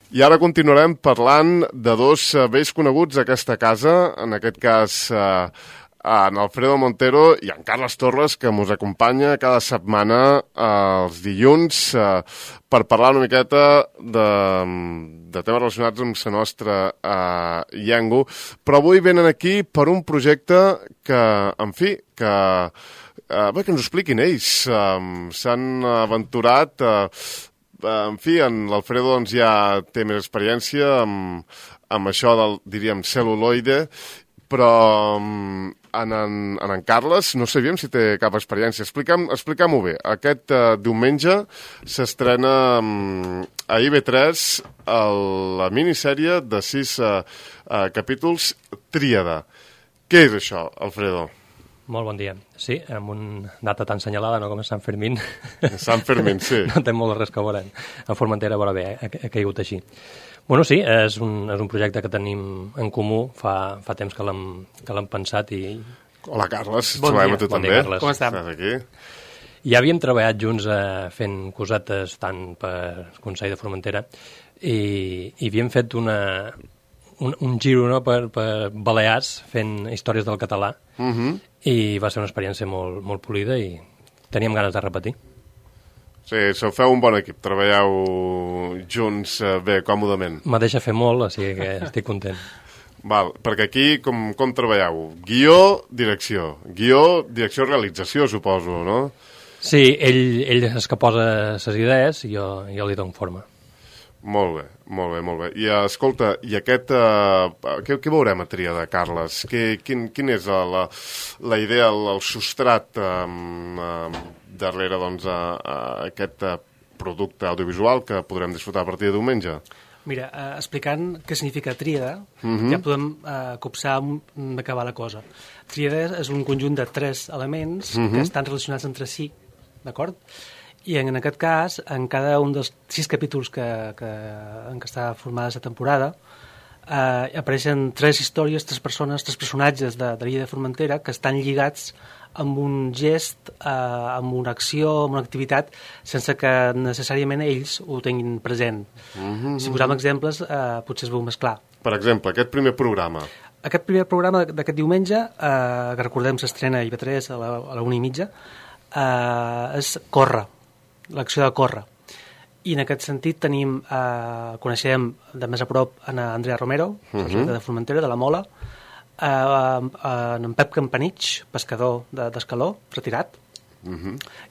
I ara continuarem parlant de dos vells coneguts d'aquesta casa, en aquest cas en Alfredo Montero i en Carles Torres, que ens acompanya cada setmana els dilluns per parlar una miqueta de temes relacionats amb la nostra llengua. Però avui venen aquí per un projecte que, en fi, que ens ho expliquin ells. S'han aventurat... En fi, l'Alfredo doncs, ja té més experiència amb això del, diríem, cel·luloide, però en Carles no sabíem si té cap experiència. Expliquem-ho bé. Aquest diumenge s'estrena a IB3 la minissèrie de 6 capítols Tríada. Què és això, Alfredo? Molt bon dia. Sí, amb una data tan senyalada, no com és Sant Fermín. Sant Fermín, sí. No té molt res que veure. A Formentera, però bé, ha caigut així. Bueno, sí, és un projecte que tenim en comú. Fa temps que l'hem pensat i... Hola, Carles. Bon dia. A tu bon també. Dia, Carles. Com estem? Estàs aquí? Ja havíem treballat junts fent cosetes tant per Consell de Formentera i havíem fet un giro, no, per Balears fent històries del català i va ser una experiència molt, molt polida i teníem ganes de repetir. Sí, feu un bon equip, treballeu junts bé, còmodament. Me deixa fer molt, o sigui que estic content. Val, perquè aquí com treballeu? Guió, direcció, realització, suposo, no? Sí, ell és que posa les idees i jo li dono forma. Molt bé. I escolta, i aquest... què veurem a Tríada, Carles? Quin és la idea, el substrat darrere doncs, aquest producte audiovisual que podrem disfrutar a partir de diumenge? Mira, explicant què significa tríada, ja podem copsar d'acabar la cosa. Tríada és un conjunt de 3 elements que estan relacionats entre si, d'acord? I en aquest cas, en cada un dels 6 capítols en què està formada la temporada, apareixen 3 històries, 3 persones, 3 personatges de l'illa de Formentera que estan lligats amb un gest, amb una acció, amb una activitat, sense que necessàriament ells ho tinguin present. Si posam exemples, potser es veu més clar. Per exemple, aquest primer programa. Aquest primer programa d'aquest diumenge, que recordem s'estrena a IB3 a la 1:30, és Córrer, l'acció de córrer. I en aquest sentit coneixem de més a prop en Andrea Romero, de Formentera, de la Mola, en Pep Campanich, pescador d'escaló, retirat,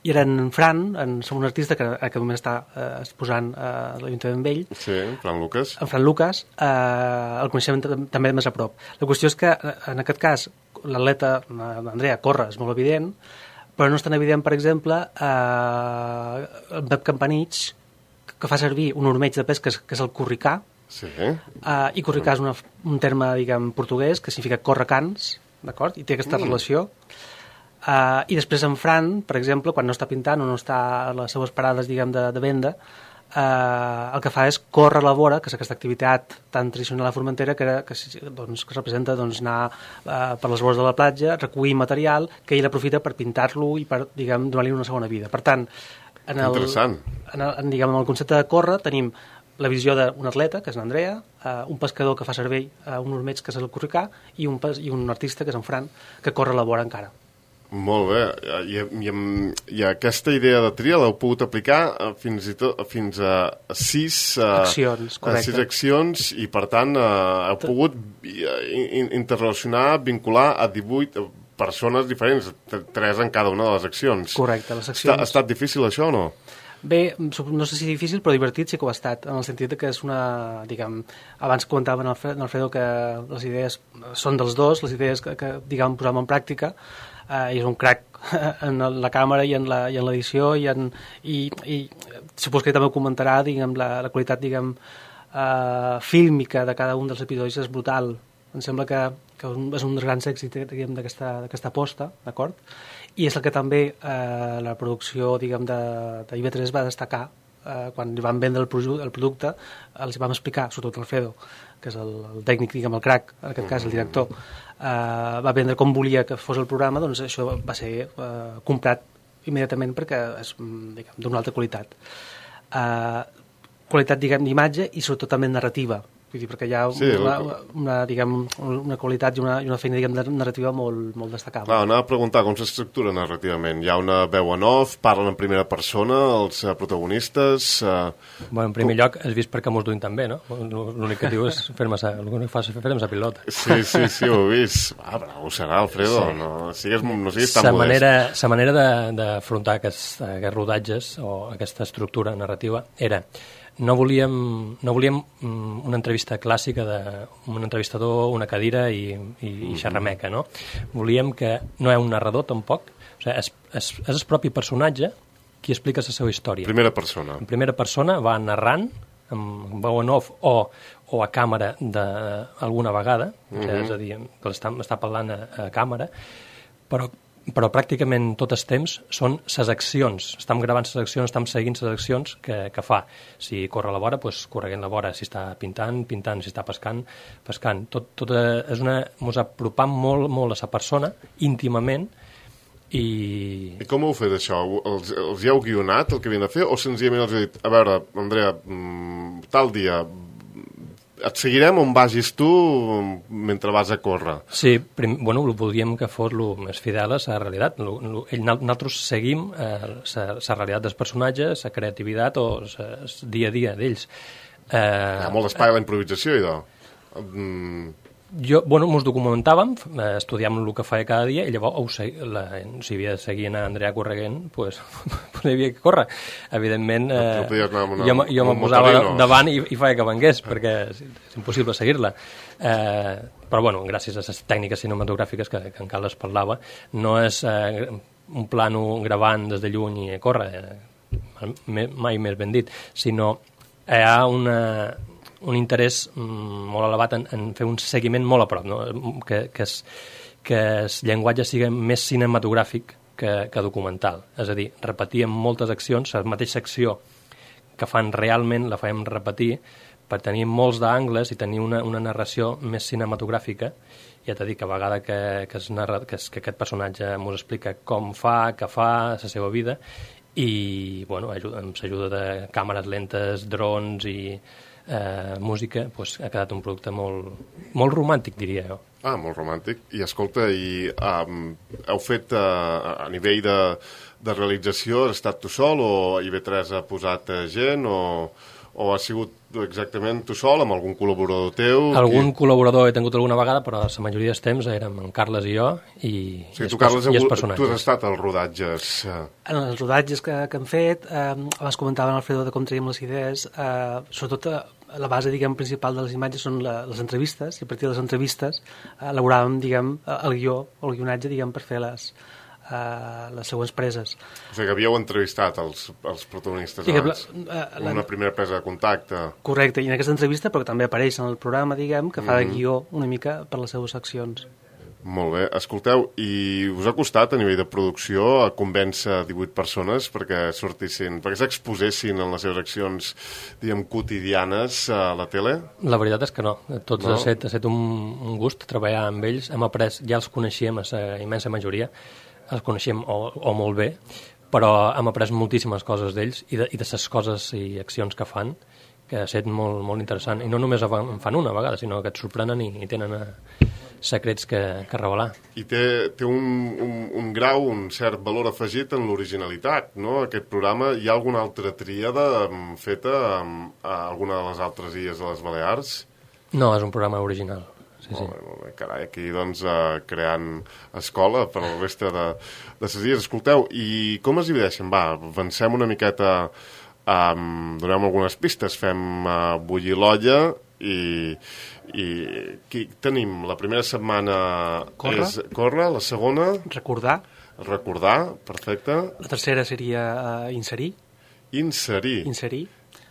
i era en Fran, un artista que en aquest moment està exposant a l'Ajuntament Vell. Sí, Fran Lucas. En Fran Lucas, el coneixem també de més a prop. La qüestió és que, en aquest cas, l'atleta, Andrea, corre, és molt evident, però no és tan evident, per exemple, el Pep Campanich, que fa servir un ormeig de pesca que és el curricà, i curricà és un terme, diguem, portuguès, que significa correcans, d'acord? I té aquesta relació. I després en Fran, per exemple, quan no està pintant o no està a les seues parades, diguem, de venda, el que fa és córrer a la vora, que és aquesta activitat tan tradicional a Formentera que representa anar per les vores de la platja, recollir material que ell aprofita per pintar-lo i per, diguem, donar-li una segona vida. Per tant, en el concepte de córrer tenim la visió d'un atleta, que és l'Andrea, un pescador que fa servir un ormeig, que és el curricà, i un artista, que és en Fran, que corre a la vora encara. Molt bé, i aquesta idea de tria l'heu pogut aplicar fins a 6 accions, correcte. 6 accions, i per tant heu pogut interrelacionar, vincular a 18 persones diferents, 3 en cada una de les accions. Correcte, les accions. Ha estat difícil això o no? Bé, no sé si difícil, però divertit sí que ho ha estat, en el sentit que és una, diguem, abans comentava en Alfredo que les idees són dels dos, les idees que diguem, posàvem en pràctica, i és un crac en la càmera i en l'edició i supos que també ho comentarà, diguem, la qualitat, diguem, fílmica de cada un dels episodis és brutal. Em sembla que és un dels grans èxits, diguem, d'aquesta aposta, d'acord? I és el que també la producció, diguem, de IB3 va destacar quan li van vendre el producte, els vam explicar, sobretot Alfredo, que és el tècnic, diguem, el crac, en aquest cas el director, va vendre com volia que fos el programa, doncs això va ser comprat immediatament perquè és, diguem, d'una alta qualitat. qualitat, diguem, d'imatge i sobretot també narrativa. Vull dir, perquè hi ha una qualitat i una feina, diguem, narrativa molt destacable. Clar, anava a preguntar com s'estructura narrativament. Hi ha una veu en off, parlen en primera persona, els protagonistes... En primer lloc, has vist perquè m'ho duim també, no? L'únic que diu és fer-me sa pilota. Sí, ho he vist. Bravo serà, Alfredo, sí. No siguis tan modest. La manera d'afrontar aquests rodatges o aquesta estructura narrativa era... No volíem una entrevista clàssica d'un entrevistador, una cadira i xerrameca, no? Volíem que no hi ha un narrador, tampoc. O sigui, és el propi personatge qui explica la seva història. Primera persona. En primera persona va narrant, amb veu en off o a càmera alguna vegada, és a dir, que està parlant a càmera, però pràcticament tot el temps són ses accions. Estem gravant ses accions, estem seguint ses accions que fa. Si corre a la vora, doncs correguent la vora. Si està pintant, si està pescant. Tot és ens apropam molt a la persona, íntimament, i com ho heu fet, això? Els hi heu guionat el que havien de fer o senzillament els heu dit, a veure, Andrea, tal dia... Et seguirem on vagis tu mentre vas a córrer. Sí, volíem que fos el més fidel a la realitat. Nosaltres seguim la realitat dels personatges, la creativitat o el dia a dia d'ells. Hi ha molt d'espai a la improvisació, idò. Ens documentàvem, estudiàvem el que feia cada dia i llavors, si havia de seguir a Andrea correguent, doncs hi havia que córrer. Evidentment, jo me posava davant i feia que vengués, perquè és impossible seguir-la. Però, gràcies a les tècniques cinematogràfiques que en Carles parlava, no és un plano gravant des de lluny i córrer, mai més ben dit, sinó hi ha un interès molt elevat en fer un seguiment molt a prop, no? que el llenguatge sigui més cinematogràfic que documental. És a dir, repetíem moltes accions, la mateixa acció que fan realment la fèiem repetir per tenir molts d'angles i tenir una narració més cinematogràfica. Ja t'he dit que a vegada que aquest personatge ens explica com fa, què fa, la seva vida, i amb l'ajuda de càmeres lentes, drons i música, ha quedat un producte molt romàntic, diria jo. Molt romàntic. I escolta, heu fet a nivell de realització, has estat tu sol o IB3 ha posat gent o ha sigut exactament tu sol amb algun col·laborador teu? Algun col·laborador he tingut alguna vegada, però la majoria dels temps érem en Carles i jo i els personatges. Tu has estat als rodatges? En els rodatges que hem fet, abans comentava en Alfredo de com traiem les idees, sobretot la base, diguem, principal de les imatges són les entrevistes, i a partir de les entrevistes elaboràvem, diguem, el guió o el guionatge, diguem, per fer les següents preses. O sigui que havíeu entrevistat els protagonistes abans, una primera presa de contacte. Correcte, i en aquesta entrevista, però també apareix en el programa, diguem, que fa de guió una mica per les seves accions. Molt bé. Escolteu, i us ha costat a nivell de producció a convèncer 18 persones perquè s'exposessin en les seves accions, diguem, quotidianes a la tele? La veritat és que no. Ha estat un gust treballar amb ells. Hem après, ja els coneixíem, a la immensa majoria, els coneixíem o molt bé, però hem après moltíssimes coses d'ells i de les coses i accions que fan, que ha estat molt, molt interessant. I no només en fan una vegada, sinó que et sorprenen i tenen secrets que revelar. I té un grau, un cert valor afegit en l'originalitat, no? Aquest programa, hi ha alguna altra tríada feta a alguna de les altres illes de les Balears? No, és un programa original. Sí. Molt bé. Carai, aquí doncs creant escola per a la resta de les illes. Escolteu, i com es divideixen? Va, avancem una miqueta, donem algunes pistes, fem bullir l'olla i tenim la primera setmana córrer, la segona recordar, perfecte, la tercera seria inserir,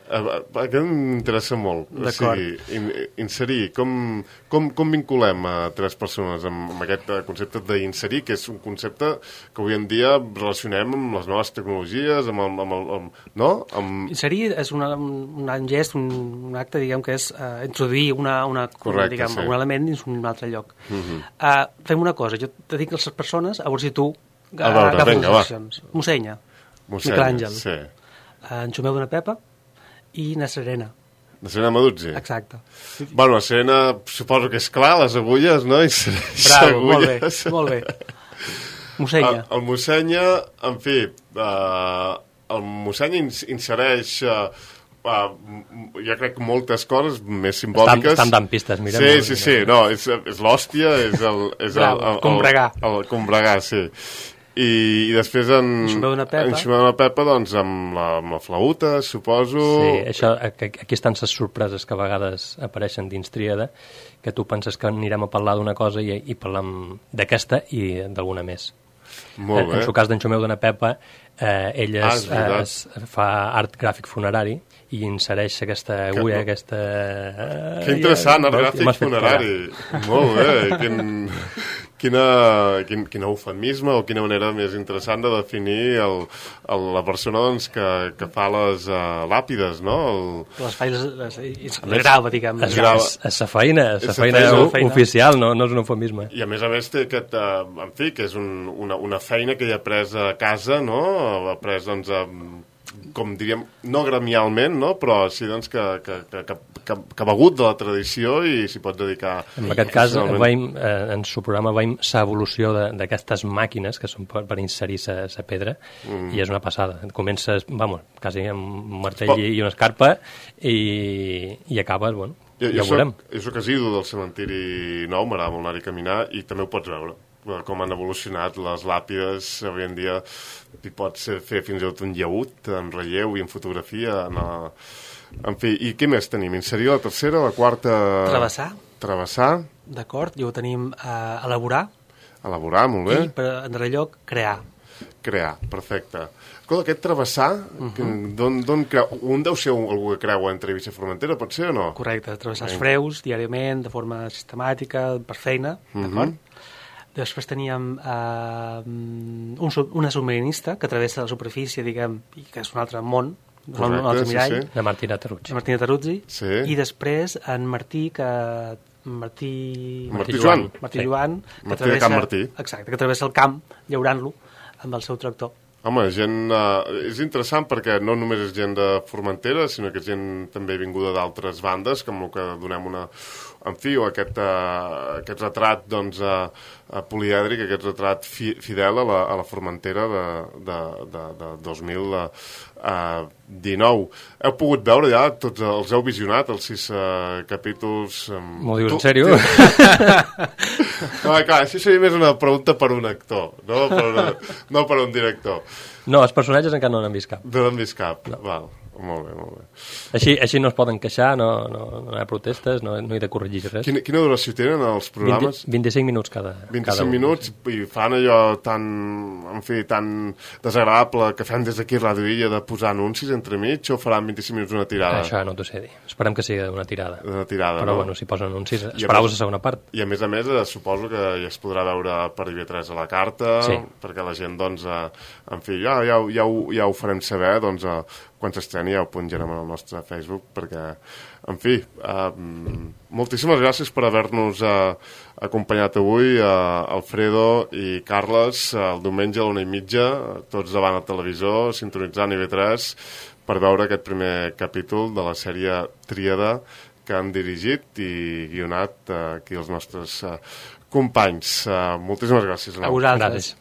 que m'interessa molt. D'acord. O sigui, inserir, com vinculem a tres persones amb aquest concepte d'inserir, que és un concepte que avui en dia relacionem amb les noves tecnologies, no? Inserir és un gest, un acte, diguem, que és introduir un element dins un altre lloc. Fem una cosa, jo te dic a les persones, a veure si tu agafes les accions. Mossenya, Miquel Àngel. Sí. Enxumeu d'una pepa i na Serena. La Serena Maduzzi. Exacte. Bueno, la Serena, suposo que és clar, les agulles, no? Bravo, agulles. Molt bé. Mossenya. El Mossenya, en fi, el Mossenya insereix... jo crec moltes coses més simbòliques. Estan dant pistes, mira. Sí, no, és l'hòstia, és el combregar. El combregar, sí. I després enxumeu d'una pepa, doncs, amb la flauta, suposo... Sí, això, aquí estan les sorpreses que a vegades apareixen dins Tríada, que tu penses que anirem a parlar d'una cosa i parlam d'aquesta i d'alguna més. Molt bé. En el cas d'Enxumeu d'una Pepa, ell es fa art gràfic funerari i insereix aquesta agulla, aquesta... Que interessant, art gràfic funerari. Molt bé, quin eufemisme o quina manera més interessant de definir la persona doncs, que fa les làpides, no? Les falles, el grava, diguem. És la feina oficial, no és un eufemisme. I a més té aquest, en fi, que és una feina que ell ha pres a casa, no? Ha pres, doncs, com diríem, no gremialment, no? Però sí doncs, que ha begut de la tradició i s'hi pot dedicar... En aquest cas, en el seu programa veiem l'evolució d'aquestes màquines que són per inserir la pedra i és una passada. Comences, quasi amb un martell i una escarpa i acabes, ja ho veurem. Jo soc asidu del cementiri nou, m'agrada molt anar-hi a caminar i també ho pots veure com han evolucionat les làpides. Avui en dia hi pots fer fins i tot un llaüt en relleu i en fotografia. En fi, i què més tenim? Inserir la tercera, la quarta... Travessar. D'acord, ja ho tenim a elaborar. Elaborar, molt bé. I, en darrer lloc, crear. Crear, perfecte. Escolta, aquest travessar, d'on creu? Un deu ser algú que creua entre Eivissa i Formentera, pot ser o no? Correcte, travessar els freus diàriament, de forma sistemàtica, per feina, d'acord? Després teníem una submarinista que travessa la superfície, diguem, i que és un altre món, un altre mirall. De Martina Terruzzi. Martina Terruzzi. Sí. I després en Martí Joan. Martí Joan. Martí de Camp Martí. Exacte, que travessa el camp llaurant-lo amb el seu tractor. Home, és interessant perquè no només és gent de Formentera, sinó que és gent també vinguda d'altres bandes, com el que donem en fi, o aquest retrat doncs, polièdric, aquest retrat fidel a la Formentera de 2019. Heu pogut veure ja, tots els heu visionat, els 6 capítols... M'ho dius en sèrio? No, clar, això seria més una pregunta per un actor, no per un director. No, els personatges encara no n'han vist cap. No n'han vist cap, val. Molt bé. Així no es poden queixar, no hi ha protestes, no hi ha de corregir res. Quina duració tenen els programes? 25 minuts cada 25 minuts i fan allò tan desagradable que fem des d'aquí a Ràdio Illa de posar anuncis entremig o faran 25 minuts una tirada? Això no t'ho sé dir. Esperem que sigui una tirada. Però no? Bueno, si posen anuncis, esperau la segona part. I a més, suposo que ja es podrà veure per IB3 a la carta, perquè la gent, doncs, en fi, ja ho farem saber, doncs, quan s'estreni ja ho penjarem al nostre Facebook, perquè, en fi, moltíssimes gràcies per haver-nos acompanyat avui, Alfredo i Carles, el diumenge a la 1:30, tots davant el televisor, sintonitzant IB3, per veure aquest primer capítol de la sèrie Tríada que han dirigit i guionat aquí els nostres companys. Moltíssimes gràcies. A vosaltres.